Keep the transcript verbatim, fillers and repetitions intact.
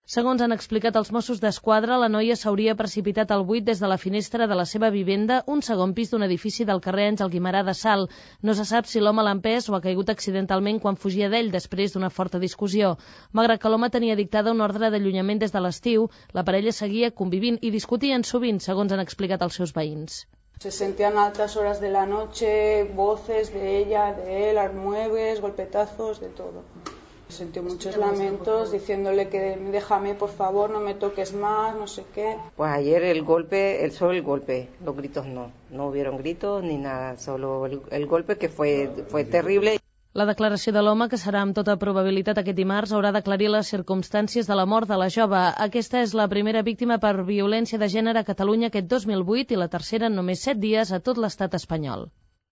Segons han explicat els Mossos d'Esquadra, la noia s'hauria precipitat al buit des de la finestra de la seva vivenda, un segon pis d'un edifici del carrer Àngel Guimerà de Salt. No se sap si l'home l'ha empès o ha caigut accidentalment quan fugia d'ell després d'una forta discussió. Malgrat que l'home tenia dictada una ordre d'allunyament des de l'estiu, la parella seguia convivint i discutien sovint, segons han explicat els seus veïns. Se sentían a altas horas de la noche, voces de ella, de él, almueves, golpetazos, de todo. Sentí muchos lamentos diciéndole que déjame, por favor, no me toques más, no sé qué. Pues ayer el golpe, el solo el golpe, los gritos no, no hubieron gritos ni nada, solo el, el golpe que fue, fue terrible. La declaració de l'home, que serà amb tota probabilitat aquest dimarts, haurà d'aclarir les circumstàncies de la mort de la jove. Aquesta és la primera víctima per violència de gènere a Catalunya aquest dos mil vuit i la tercera en només set dies a tot l'estat espanyol.